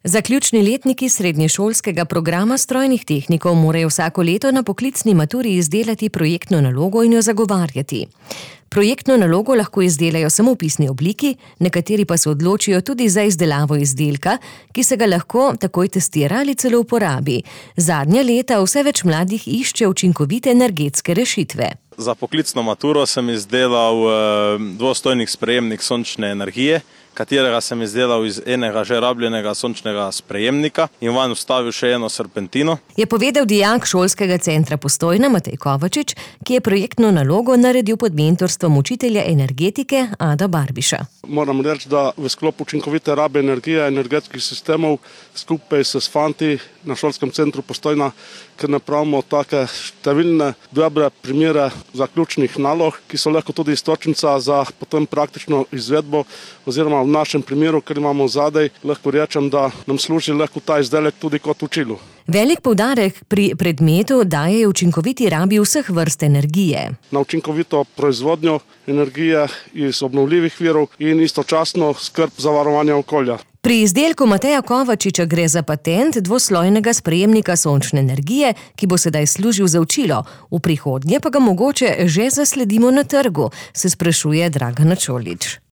Zaključni letniki srednješolskega programa strojnih tehnikov morajo vsako leto na poklicni maturi izdelati projektno nalogo in jo zagovarjati. Projektno nalogo lahko izdelajo samo v pisni obliki, nekateri pa se odločijo tudi za izdelavo izdelka, ki se ga lahko takoj testira ali celo uporabi. Zadnja leta vse več mladih išče učinkovite energetske rešitve. Za poklicno maturo sem izdelal dvostojnik sprejemnik sončne energije, katerega sem izdelal iz enega že rabljenega sončnega sprejemnika in vanj vstavil še eno serpentino. Je povedal dijak šolskega centra Postojna Matej Kovačič, ki je projektno nalogo naredil pod mentorstvom učitelja energetike Ada Barbiša. Moram reči, da v sklopu učinkovite rabe energije energetskih sistemov skupaj s fanti na šolskem centru Postojna, ker napravimo take številne dobre primere zaključnih nalog, ki so lahko tudi istočnica za potem praktično izvedbo, oziroma v našem primeru, ker imamo zadaj, lahko rečem, da nam služi lahko ta izdelek tudi kot učilo. Velik poudarek pri predmetu daje učinkoviti rabi vseh vrst energije. Na učinkovito proizvodnjo energije iz obnovljivih virov in istočasno skrb za varovanje okolja. Pri izdelku Mateja Kovačiča gre za patent dvoslojnega sprejemnika sončne energije, ki bo sedaj služil za učilo. V prihodnje pa ga mogoče že zasledimo na trgu, se sprašuje Dragana Čolič.